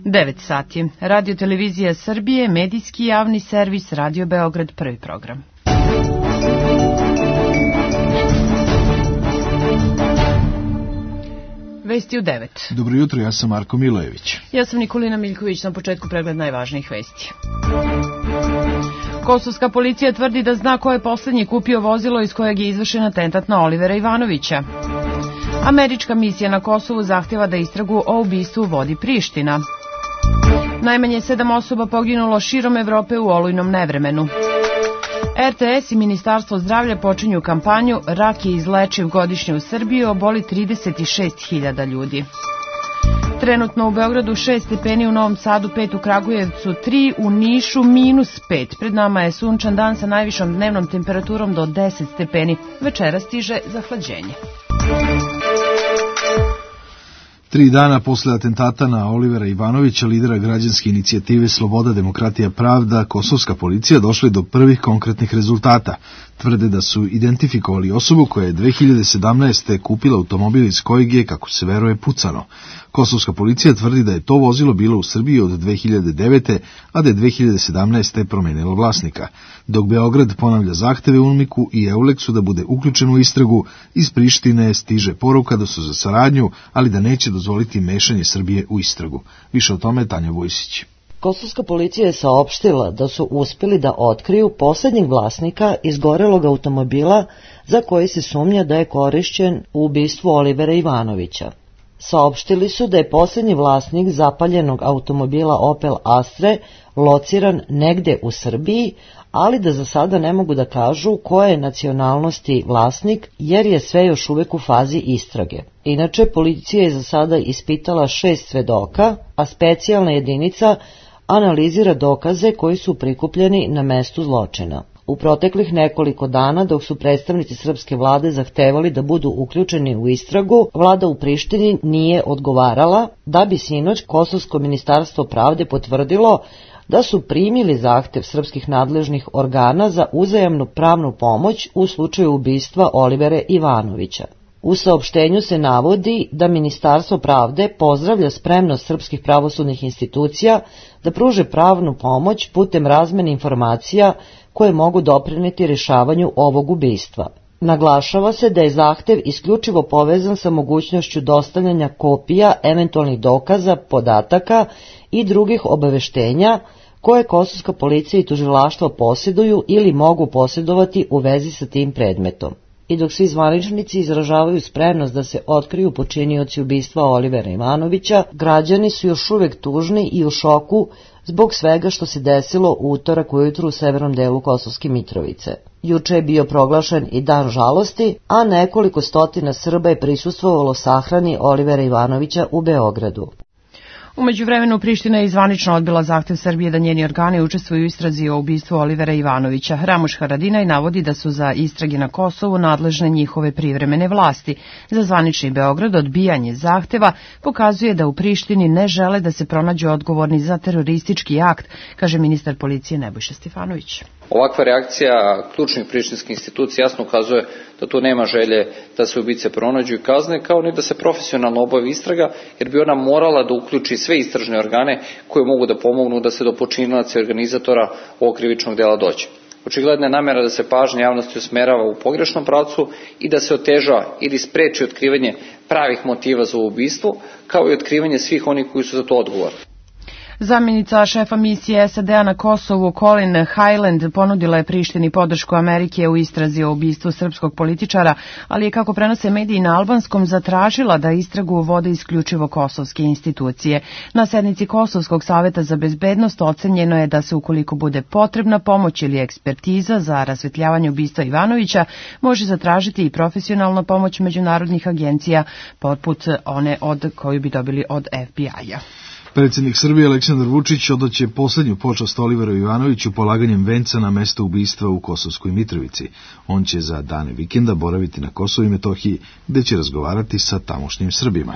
9 sati. Radio Televizija Srbije, medijski javni servis, Radio Beograd, prvi program. Vesti u 9. Dobro jutro, ja sam Marko Milojević. Ja sam Nikolina Miljković, na početku pregled najvažnijih vesti. Kosovska policija tvrdi da zna ko je poslednji kupio vozilo iz kojeg je izvršen atentat na Olivera Ivanovića. Američka misija na Kosovu zahtjeva da istragu o ubistvu vodi Priština. Najmanje 7 osoba poginulo širom Evrope u olujnom nevremenu. RTS i Ministarstvo zdravlja počinju kampanju Rak je izlečiv godišnje u Srbiji, oboli 36.000 ljudi. Trenutno u Beogradu 6 stepeni, u Novom Sadu 5, u Kragujevcu 3, u Nišu -5. Pred nama je sunčan dan sa najvišom dnevnom temperaturom do 10 stepeni. Večera stiže zahlađenje. 3 dana posle atentata na Olivera Ivanovića, lidera građanske inicijative Sloboda, demokratija, pravda, kosovska policija došla do prvih konkretnih rezultata. Tvrde da su identifikovali osobu koja je 2017. kupila automobil iz kojeg je, kako se veruje, pucano. Kosovska policija tvrdi da je to vozilo bilo u Srbiji od 2009. a da je 2017. promenilo vlasnika. Dok Beograd ponavlja zahteve UNMIK-u i EULEX-u da bude uključen u istragu, iz Prištine stiže poruka da su za saradnju, ali da neće dozvoliti mešanje Srbije u istragu. Više o tome Tanja Vojsić. Kosovska policija je saopštila da su uspjeli da otkriju posljednjeg vlasnika izgorelog automobila za koji se sumnja da je korišćen u ubistvu Olivera Ivanovića. Saopštili su da je posljednji vlasnik zapaljenog automobila Opel Astre lociran negde u Srbiji, ali da za sada ne mogu da kažu koje je nacionalnosti vlasnik, jer je sve još uvek u fazi istrage. Inače, policija je za sada ispitala 6 svedoka, a specijalna jedinica analizira dokaze koji su prikupljeni na mestu zločina. U proteklih nekoliko dana, dok su predstavnici srpske vlade zahtevali da budu uključeni u istragu, vlada u Prištini nije odgovarala, da bi sinoć Kosovsko ministarstvo pravde potvrdilo da su primili zahtev srpskih nadležnih organa za uzajamnu pravnu pomoć u slučaju ubistva Olivera Ivanovića. U saopštenju se navodi da Ministarstvo pravde pozdravlja spremnost srpskih pravosudnih institucija da pruže pravnu pomoć putem razmene informacija koje mogu doprineti rješavanju ovog ubistva. Naglašava se da je zahtev isključivo povezan sa mogućnošću dostavljanja kopija eventualnih dokaza, podataka i drugih obaveštenja koje kosovska policija i tužilaštvo posjeduju ili mogu posjedovati u vezi sa tim predmetom. I dok svi zvaničnici izražavaju spremnost da se otkriju počinioci ubistva Olivera Ivanovića, građani su još uvek tužni i u šoku zbog svega što se desilo u utorak ujutru u severnom delu Kosovske Mitrovice. Juče je bio proglašen i dan žalosti, a nekoliko stotina Srba je prisustvovalo sahrani Olivera Ivanovića u Beogradu. U međuvremenu Priština je zvanično odbila zahtev Srbije da njeni organi učestvuju u istrazi o ubistvu Olivera Ivanovića. Ramuš Haradinaj navodi da su za istrage na Kosovu nadležne njihove privremene vlasti. Za zvanični Beograd odbijanje zahteva pokazuje da u Prištini ne žele da se pronađu odgovorni za teroristički akt, kaže ministar policije Nebojša Stefanović. Ovakva reakcija ključnih prištinskih institucija jasno ukazuje da tu nema želje da se ubice pronađu i kazne, kao ni da se profesionalno obavi istraga, jer bi ona morala da uključi sve istražne organe koje mogu da pomognu da se do počinilaca i organizatora ovog krivičnog dela dođe. Očigledna je namjera da se pažnja javnosti usmerava u pogrešnom pravcu i da se oteža ili spreči otkrivanje pravih motiva za ubistvo, kao i otkrivanje svih onih koji su za to odgovorni. Zamjenica šefa misije SAD-a na Kosovu Colin Highland ponudila je Prištini podršku Amerike u istrazi o ubistvu srpskog političara, ali je, kako prenose mediji na albanskom, zatražila da istragu vode isključivo kosovske institucije. Na sednici Kosovskog saveta za bezbednost ocenjeno je da se, ukoliko bude potrebna pomoć ili ekspertiza za rasvetljavanje ubistva Ivanovića, može zatražiti i profesionalna pomoć međunarodnih agencija, poput one koju bi dobili od FBI-a. Predsjednik Srbije Aleksandar Vučić odaće posljednju počast Oliveru Ivanoviću polaganjem venca na mesto ubistva u Kosovskoj Mitrovici. On će za dane vikenda boraviti na Kosovu i Metohiji, gde će razgovarati sa tamošnjim Srbima.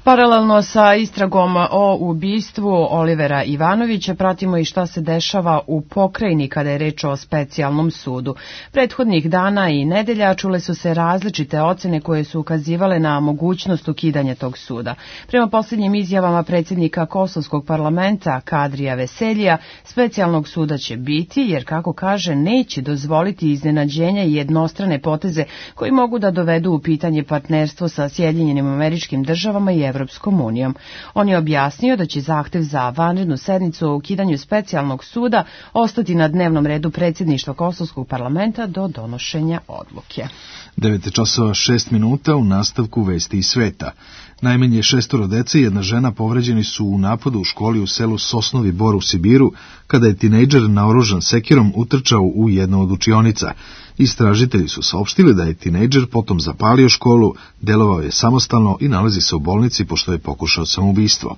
Paralelno sa istragom o ubistvu Olivera Ivanovića pratimo i šta se dešava u pokrajini kada je reč o specijalnom sudu. Prethodnih dana i nedelja čule su se različite ocene koje su ukazivale na mogućnost ukidanja tog suda. Prema posljednjim izjavama predsjednika Kosovskog parlamenta Kadrija Veseljija, specijalnog suda će biti jer, kako kaže, neće dozvoliti iznenađenja i jednostrane poteze koji mogu da dovedu u pitanje partnerstvo sa Sjedinjenim Američkim Državama i Evropskom unijom. On je objasnio da će zahtev za vanrednu sednicu o ukidanju specijalnog suda ostati na dnevnom redu predsjedništva Kosovskog parlamenta do donošenja odluke. 9:06 u nastavku vesti iz sveta. Najmanje 6 dece i jedna žena povređeni su u napadu u školi u selu Sosnovi Bor u Sibiru, kada je tinejdžer naoružan sekirom utrčao u jednu od učionica. Istražitelji su saopštili da je tinejdžer potom zapalio školu, delovao je samostalno i nalazi se u bolnici pošto je pokušao samoubistvo.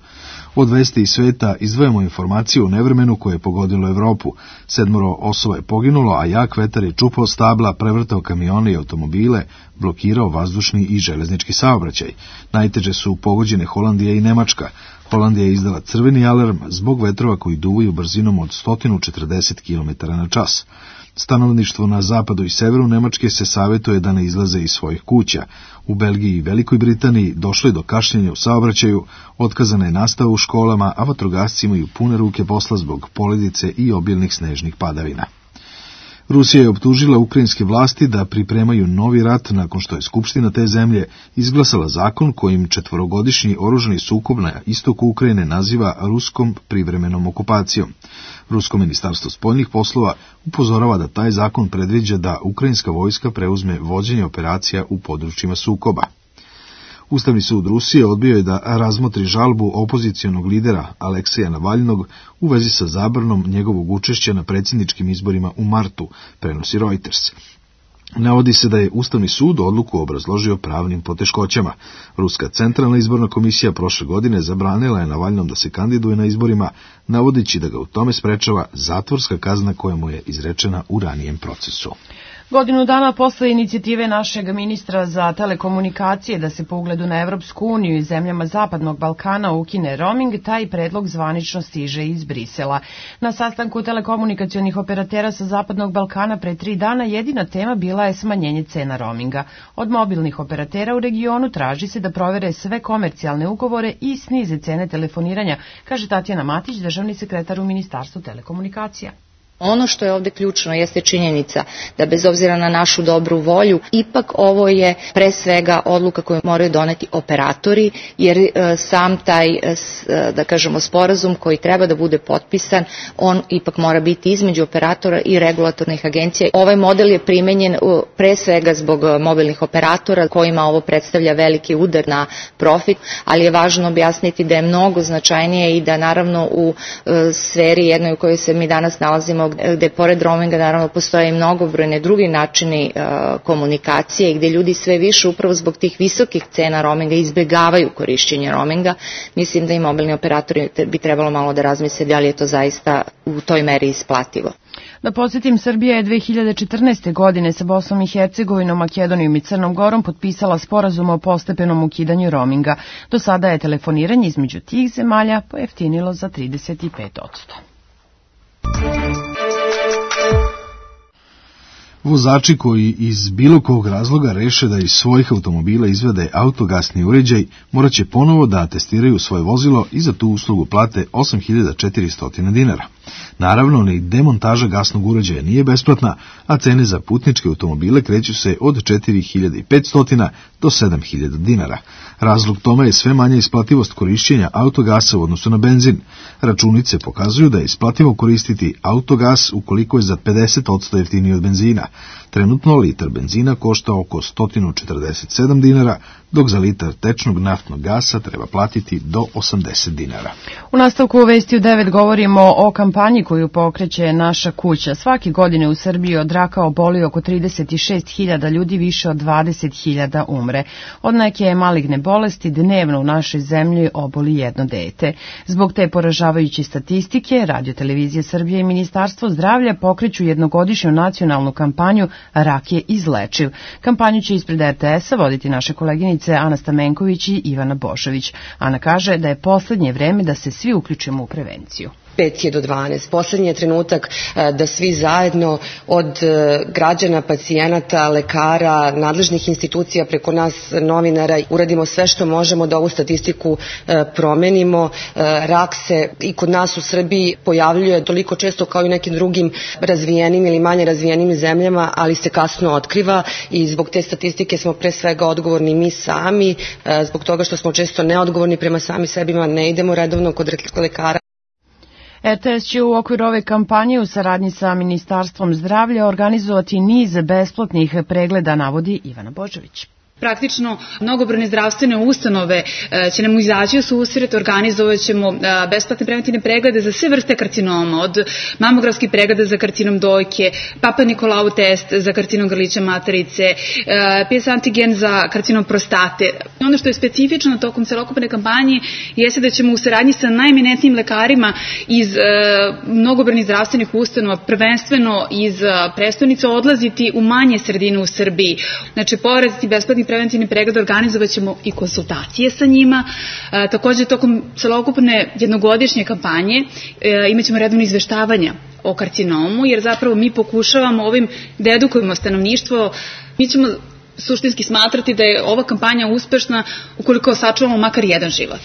Od vesti iz sveta izdvajamo informaciju o nevremenu koje je pogodilo Evropu. 7 osoba je poginulo, a jak vetar je čupao stabla, prevrtao kamione i automobile, blokirao vazdušni i železnički saobraćaj. Najteže su pogođene Holandija i Nemačka. Holandija je izdala crveni alarm zbog vetrova koji duvaju brzinom od 140 km/h. Stanovništvo na zapadu i severu Nemačke se savjetuje da ne izlaze iz svojih kuća. U Belgiji i Velikoj Britaniji došlo je do kašnjenja u saobraćaju, otkazana je nastava u školama, a vatrogasci imaju pune ruke posla zbog poledice i obilnih snežnih padavina. Rusija je optužila ukrajinske vlasti da pripremaju novi rat nakon što je Skupština te zemlje izglasala zakon kojim 4-godišnji oružani sukob na istoku Ukrajine naziva ruskom privremenom okupacijom. Rusko ministarstvo spoljnih poslova upozorava da taj zakon predviđa da ukrajinska vojska preuzme vođenje operacija u područjima sukoba. Ustavni sud Rusije odbio je da razmotri žalbu opozicionog lidera Alekseja Navalnog u vezi sa zabranom njegovog učešća na predsjedničkim izborima u martu, prenosi Reuters. Navodi se da je Ustavni sud odluku obrazložio pravnim poteškoćama. Ruska centralna izborna komisija prošle godine zabranila je Navalnom da se kandiduje na izborima, navodeći da ga u tome sprečava zatvorska kazna koja mu je izrečena u ranijem procesu. Godinu dana posle inicijative našeg ministra za telekomunikacije da se po ugledu na Evropsku uniju i zemljama Zapadnog Balkana ukine roaming, taj predlog zvanično stiže iz Brisela. Na sastanku telekomunikacionih operatera sa Zapadnog Balkana pre 3 dana jedina tema bila je smanjenje cena roaminga. Od mobilnih operatera u regionu traži se da provere sve komercijalne ugovore i snize cene telefoniranja, kaže Tatjana Matić, državni sekretar u Ministarstvu telekomunikacija. Ono što je ovdje ključno jeste činjenica da bez obzira na našu dobru volju, ipak ovo je pre svega odluka koju moraju doneti operatori, jer sam taj, da kažemo, sporazum koji treba da bude potpisan, on ipak mora biti između operatora i regulatornih agencija. Ovaj model je primenjen pre svega zbog mobilnih operatora kojima ovo predstavlja veliki udar na profit, ali je važno objasniti da je mnogo značajnije i da naravno u sferi jednoj u kojoj se mi danas nalazimo, gde pored roaminga naravno postoje i mnogobrojne drugi načini komunikacije i gde ljudi sve više upravo zbog tih visokih cena roaminga izbjegavaju korišćenje roaminga. Mislim da i mobilni operatori bi trebalo malo da razmisle da li je to zaista u toj meri isplativo. Da podsjetim, Srbija je 2014. godine sa Bosnom i Hercegovinom, Makedonijom i Crnom Gorom potpisala sporazum o postepenom ukidanju roaminga. Do sada je telefoniranje između tih zemalja pojeftinilo za 35%. Vozači koji iz bilo kog razloga reše da iz svojih automobila izvade autogasni uređaj, morat će ponovo da testiraju svoje vozilo i za tu uslugu plate 8.400 dinara. Naravno, ni demontaža gasnog uređaja nije besplatna, a cene za putničke automobile kreću se od 4.500 do 7.000 dinara. Razlog tome je sve manja isplativost korišćenja autogasa u odnosu na benzin. Računice pokazuju da je isplativo koristiti autogas ukoliko je za 50% jeftiniji od benzina. Trenutno litar benzina košta oko 147 dinara, dok za litar tečnog naftnog gasa treba platiti do 80 dinara. U nastavku u Vesti u 9 govorimo o kampanji koju pokreće Naša kuća. Svake godine u Srbiji od raka oboli oko 36.000 ljudi, više od 20.000 umre. Od neke maligne bolesti dnevno u našoj zemlji oboli jedno dete. Zbog te poražavajuće statistike, Radio Televizija Srbije i Ministarstvo zdravlja pokreću jednogodišnju nacionalnu kampanju Rak je izlečiv. Kampanju će ispred RTS-a voditi naše koleginice koleginice Ana Stamenković i Ivana Božović. Ana kaže da je poslednje vreme da se svi uključimo u prevenciju. 5 je do 12. Poslednji je trenutak da svi zajedno od građana, pacijenata, lekara, nadležnih institucija preko nas novinara uradimo sve što možemo da ovu statistiku promenimo. Rak se i kod nas u Srbiji pojavljuje toliko često kao i u nekim drugim razvijenim ili manje razvijenim zemljama, ali se kasno otkriva i zbog te statistike smo pre svega odgovorni mi sami, zbog toga što smo često neodgovorni prema sami sebima, ne idemo redovno kod lekara. RTS će u okviru ove kampanje u saradnji sa Ministarstvom zdravlja organizovati niz besplatnih pregleda, navodi Ivana Božović. Praktično, mnogobrojne zdravstvene ustanove će nam izaći u susret, organizovat ćemo besplatne preventivne preglede za sve vrste karcinoma, od mamografskih pregleda za karcinom dojke, Papa Nikolau test za karcinom grlića materice, PS antigen za karcinom prostate. Ono što je specifično tokom celokupne kampanje jeste da ćemo u saradnji sa najeminentnijim lekarima iz mnogobrojnih zdravstvenih ustanova, prvenstveno iz prestonice, odlaziti u manje sredine u Srbiji. Znači, pored ti besplatnih preventivni pregled organizovat ćemo i konsultacije sa njima. Takođe, tokom celokupne jednogodišnje kampanje imat ćemo redovno izveštavanja o karcinomu, jer zapravo mi pokušavamo ovim da edukujemo stanovništvo. Mi ćemo suštinski smatrati da je ova kampanja uspešna ukoliko sačuvamo makar jedan život.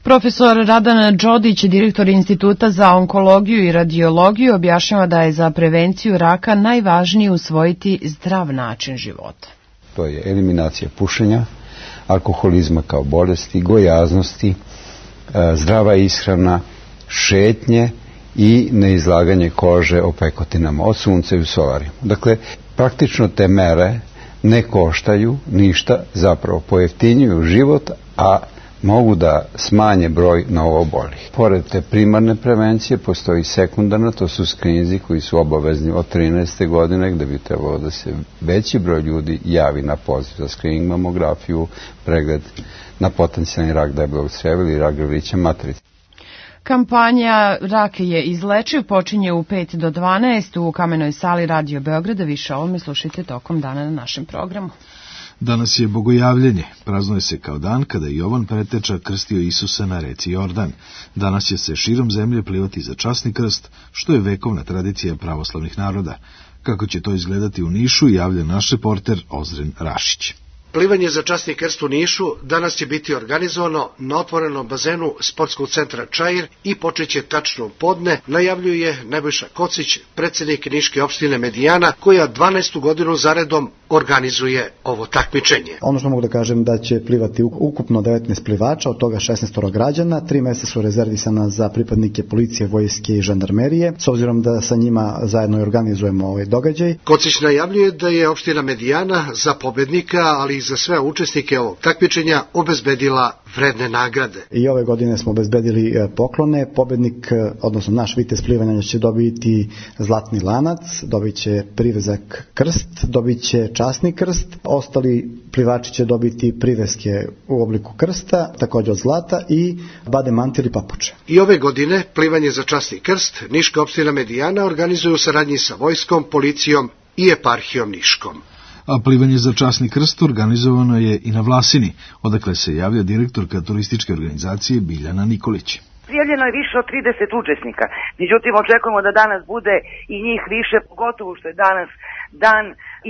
Profesor Radan Đodić, direktor Instituta za onkologiju i radiologiju, objašnjava da je za prevenciju raka najvažnije usvojiti zdrav način života. To je eliminacija pušenja, alkoholizma kao bolesti, gojaznosti, zdrava ishrana, šetnje i neizlaganje kože opekotinama od sunca i u solariju. Dakle, praktično te mere ne koštaju ništa, zapravo pojeftinjuju život, a mogu da smanje broj novoobolelih. Pored te primarne prevencije postoji sekundarna, to su skrininzi koji su obavezni od 13. godine, gde bi trebalo da se veći broj ljudi javi na poziv za skrining, mamografiju, pregled na potencijalni rak debelog crijeva ili rak grlića materice. Kampanja Rak je izlečiv počinje u 5 do 12 u Kamenoj sali Radio Beograda. Više o ovome slušajte tokom dana na našem programu. Danas je Bogojavljenje. Praznuje se kao dan kada je Jovan Preteča krstio Isusa na reci Jordan. Danas će se širom zemlje plivati za časni krst, što je vekovna tradicija pravoslavnih naroda. Kako će to izgledati u Nišu, javlja naš reporter Ozren Rašić. Plivanje za časni krst u Nišu danas će biti organizovano na otvorenom bazenu sportskog centra Čair i počeće tačno podne, najavljuje Nebojša Kocić, predsjednik Niške opštine Medijana, koja 12. godinu zaredom organizuje ovo takmičenje. Ono što mogu da kažem da će plivati ukupno 19 plivača, od toga 16 građana, 3 mesta su rezervisana za pripadnike policije, vojske i žandarmerije, s obzirom da sa njima zajedno organizujemo ovaj događaj. Kocić najavljuje da je opština Medijana za pobednika, ali i za sve učesnike ovog takmičenja obezbedila vredne nagrade. I ove godine smo obezbedili poklone. Pobednik, odnosno naš vitez plivanja, će dobiti zlatni lanac, dobit će privezak krst, dobit će časni krst, ostali plivači će dobiti priveske u obliku krsta, također od zlata, i bade mantil i papuče. I ove godine plivanje za časni krst Niška opština Medijana organizuje u saradnji sa vojskom, policijom i eparhijom Niškom. A plivanje za časni krst organizovano je i na Vlasini, odakle se javlja direktorka turističke organizacije Biljana Nikolić. Prijavljeno je više od 30 učesnika, međutim očekujemo da danas bude i njih više, pogotovo što je danas dan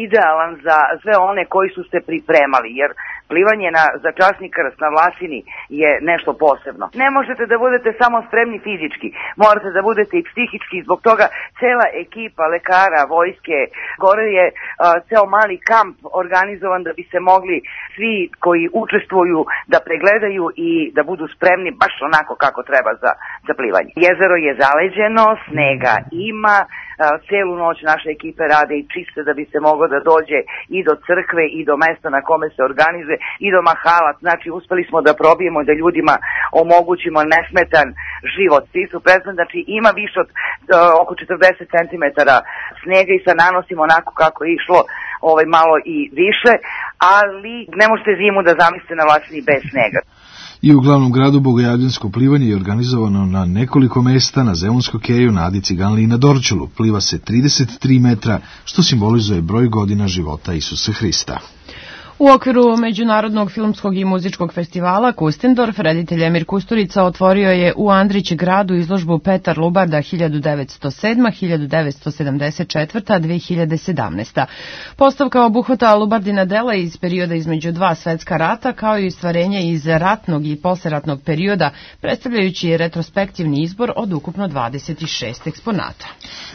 idealan za sve one koji su se pripremali, jer plivanje za časni krst na Vlasini je nešto posebno. Ne možete da budete samo spremni fizički, morate da budete i psihički, zbog toga cela ekipa lekara, vojske, gore je ceo mali kamp organizovan da bi se mogli svi koji učestvuju da pregledaju i da budu spremni baš onako kako treba za plivanje. Jezero je zaleđeno, snega ima, celu noć naše ekipe rade i čiste da bi se moglo da dođe i do crkve i do mesta na kome se organizuje i do mahala. Znači uspeli smo da probijemo da ljudima omogućimo nesmetan život. Svi su presmetni, znači ima više od oko 40 cm snega i sa nanosimo onako kako je išlo malo i više, ali ne možete zimu da zamislite na Vlasini bez snega. I u glavnom gradu Bogojavljansko plivanje je organizovano na nekoliko mesta, na Zemunskoj keju, na Adi Ciganli i na Dorćolu. Pliva se 33 metra, što simbolizuje broj godina života Isusa Hrista. U okviru Međunarodnog filmskog i muzičkog festivala Kustendorf, reditelj Emir Kusturica otvorio je u Andrić gradu izložbu Petar Lubarda 1907. 1974. 2017. Postavka obuhvata Lubardina dela iz perioda između dva svetska rata, kao i stvarenje iz ratnog i posleratnog perioda, predstavljajući retrospektivni izbor od ukupno 26 eksponata.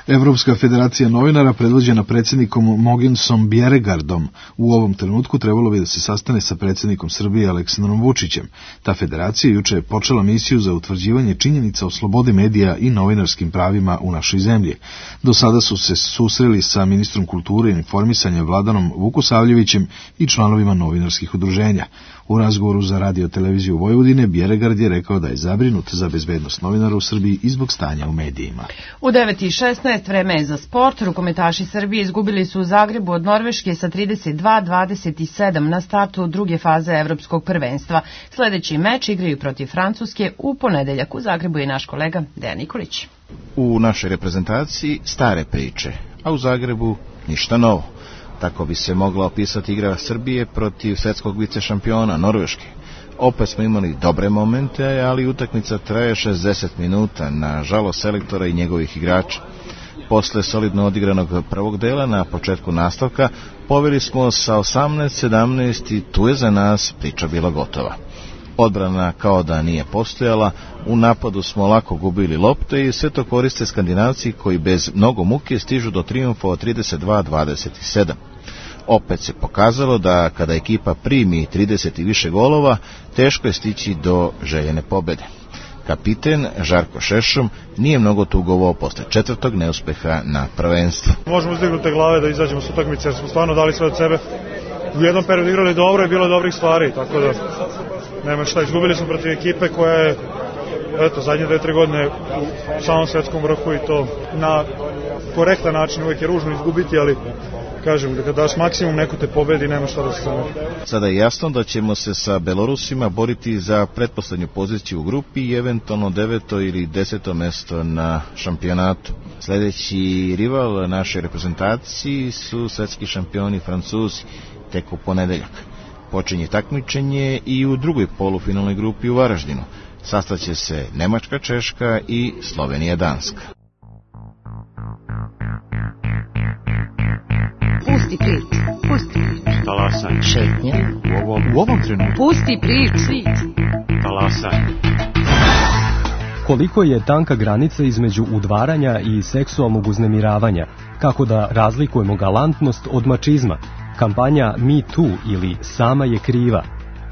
Evropska federacija novinara, predvođena predsjednikom Mogensom Bjeregardom, u ovom trenutku trebalo bi da se sastane sa predsjednikom Srbije Aleksandrom Vučićem. Ta federacija juče je počela misiju za utvrđivanje činjenica o slobodi medija i novinarskim pravima u našoj zemlji. Do sada su se susreli sa ministrom kulture i informisanja Vladanom Vukusavljevićem i članovima novinarskih udruženja. U razgovoru za Radio televiziju Vojvodine, Bjeregard je rekao da je zabrinut za bezbednost novinara u Srbiji i zbog stanja u medijima. U 9:16 vreme je za sport. Rukometaši Srbije izgubili su u Zagrebu od Norveške sa 32-27 na startu druge faze evropskog prvenstva. Sledeći meč igraju protiv Francuske u ponedeljak. U Zagrebu je naš kolega Dejan Nikolić. U našoj reprezentaciji stare priče, a u Zagrebu ništa novo. Tako bi se mogla opisati igra Srbije protiv svetskog vicešampiona Norveške. Opet smo imali dobre momente, ali utakmica traje 60 minuta, na žalost selektora i njegovih igrača. Posle solidno odigranog prvog dela, na početku nastavka, poveli smo sa 18-17 i tu je za nas priča bila gotova. Odbrana kao da nije postojala, u napadu smo lako gubili lopte i sve to koriste Skandinavci koji bez mnogo muke stižu do trijumfa od 32-27. Opet se pokazalo da kada ekipa primi 30 i više golova, teško je stići do željene pobede. Kapiten Žarko Šešom nije mnogo tugovao posle četvrtog neuspeha na prvenstvu. Možemo uzdignute glave da izađemo s utakmice jer smo stvarno dali sve od sebe. U jednom periodu igrali dobro i bilo dobrih stvari, tako da nema šta. Izgubili smo protiv ekipe koja je zadnje 2-3 godine u samom svetskom vrhu i to na korektan način. Uvijek je ružno izgubiti, ali kažem, da kada daš maksimum neko te pobedi, nema šta da se zameri. Sada je jasno da ćemo se sa Belorusima boriti za pretposlednju poziciju u grupi i eventualno 9. ili 10. mesto na šampionatu. Sledeći rival naše reprezentaciji su svetski šampioni Francuzi, tek u ponedeljak. Počinje takmičenje i u drugoj polufinalnoj grupi u Varaždinu. Sastaće se Nemačka, Češka i Slovenija, Danska. Pusti prič, pusti prič. Talasaj. Šetnje. U ovom trenutku. Pusti prič. Talasaj. Koliko je tanka granica između udvaranja i seksualnog uznemiravanja? Kako da razlikujemo galantnost od mačizma? Kampanja Me Too ili Sama je kriva.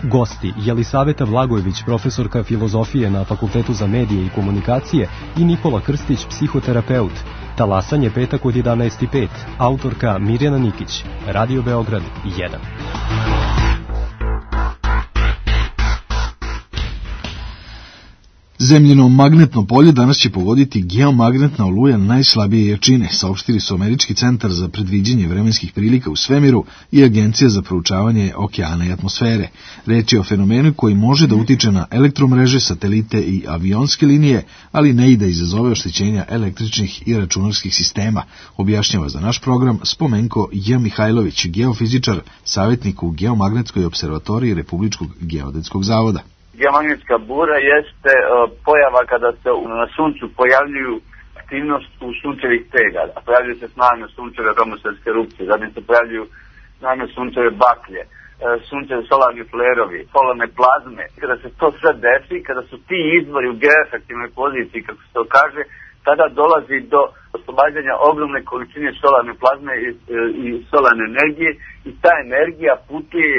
Gosti Jelisaveta Vlagojević, profesorka filozofije na Fakultetu za medije i komunikacije, i Nikola Krstić, psihoterapeut. Talasanje petak od 11:05. Autorka Mirjana Nikić. Radio Beograd 1. Zemljino magnetno polje danas će pogoditi geomagnetna oluja najslabije jačine, saopštili su Američki centar za predviđanje vremenskih prilika u svemiru i Agencija za proučavanje okeana i atmosfere. Reč je o fenomenu koji može da utiče na elektromreže, satelite i avionske linije, ali ne i da izazove oštećenja električnih i računarskih sistema, objašnjava za naš program Spomenko J. Mihajlović, geofizičar, savjetnik u Geomagnetskoj observatoriji Republičkog geodetskog zavoda. Geomagnetska bura jeste pojava kada se na suncu pojavljuju aktivnost u sunčevih tega. Pojavljuju se snažne sunčeve atmosferske erupcije, zatim se pojavljuju snažne sunčeve baklje, sunčevi solarni flerovi, solarne plazme. Kada se to sve desi, kada su ti izvori u geoefektivnoj poziciji, kako se to kaže, tada dolazi do oslobađanja ogromne količine solarne plazme i solarne energije i ta energija putuje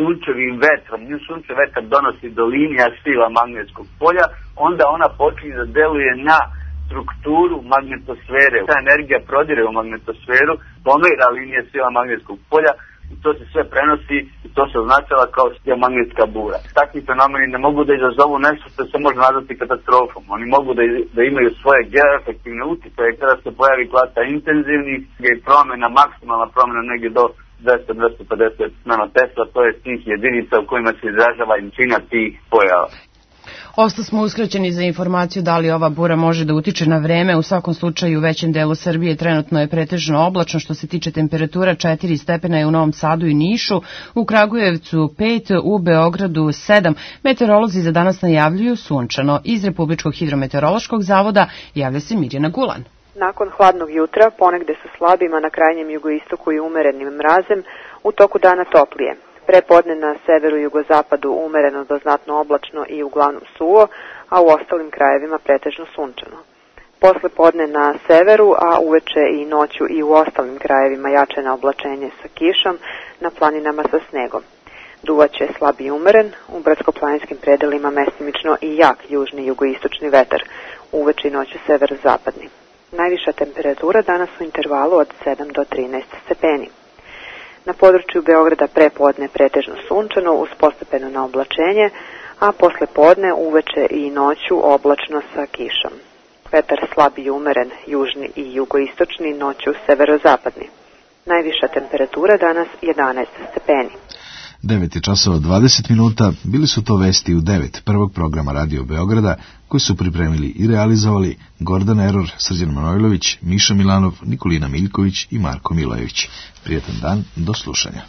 sunčevim vetrom. Nju sunčev vetar donosi do linija sila magnetskog polja, onda ona počinje da deluje na strukturu magnetosfere. Ta energija prodire u magnetosferu, pomera linije sila magnetskog polja i to se sve prenosi i to se označava kao geomagnetska bura. Takvi fenomeni ne mogu da izazovu nešto što se može nazvati katastrofom. Oni mogu da imaju svoje geoefektivne uticaje kada se pojavi klasa intenzivnih i promjena, maksimalna promjena negdje do 200-250 nanotesla, to je tih jedinica u kojima se izražava jačina tih pojava. Osta smo uskraćeni za informaciju da li ova bura može da utiče na vreme. U svakom slučaju u većem delu Srbije trenutno je pretežno oblačno. Što se tiče temperatura, 4 stepena je u Novom Sadu i Nišu, u Kragujevcu 5, u Beogradu 7. Meteorolozi za danas najavljuju sunčano. Iz Republičkog hidrometeorološkog zavoda javlja se Mirjana Gulan. Nakon hladnog jutra, ponegde sa slabima na krajnjem jugoistoku i umerenim mrazem, u toku dana toplije. Prepodne na severu i jugozapadu umereno do znatno oblačno i uglavnom suvo, a u ostalim krajevima pretežno sunčano. Posle podne na severu, a uveče i noću i u ostalim krajevima jače na oblačenje sa kišom, na planinama sa snegom. Duvaće slab i umeren, u brdsko-planinskim predelima mestimično i jak južni jugoistočni vetar, uveče i noću severozapadni. Najviša temperatura danas u intervalu od 7 do 13 stepeni. Na području Beograda prepodne pretežno sunčano uz postepeno na oblačenje, a posle podne uveče i noću oblačno sa kišom. Vetar slab i umeren, južni i jugoistočni, noću severozapadni. Najviša temperatura danas 11 stepeni. 9 je časova 20 minuta, bili su to vesti u 9 prvog programa Radio Beograda, koji su pripremili i realizovali Gordan Eror, Srđan Manojlović, Miša Milanov, Nikolina Miljković i Marko Milojević. Prijetan dan, do slušanja.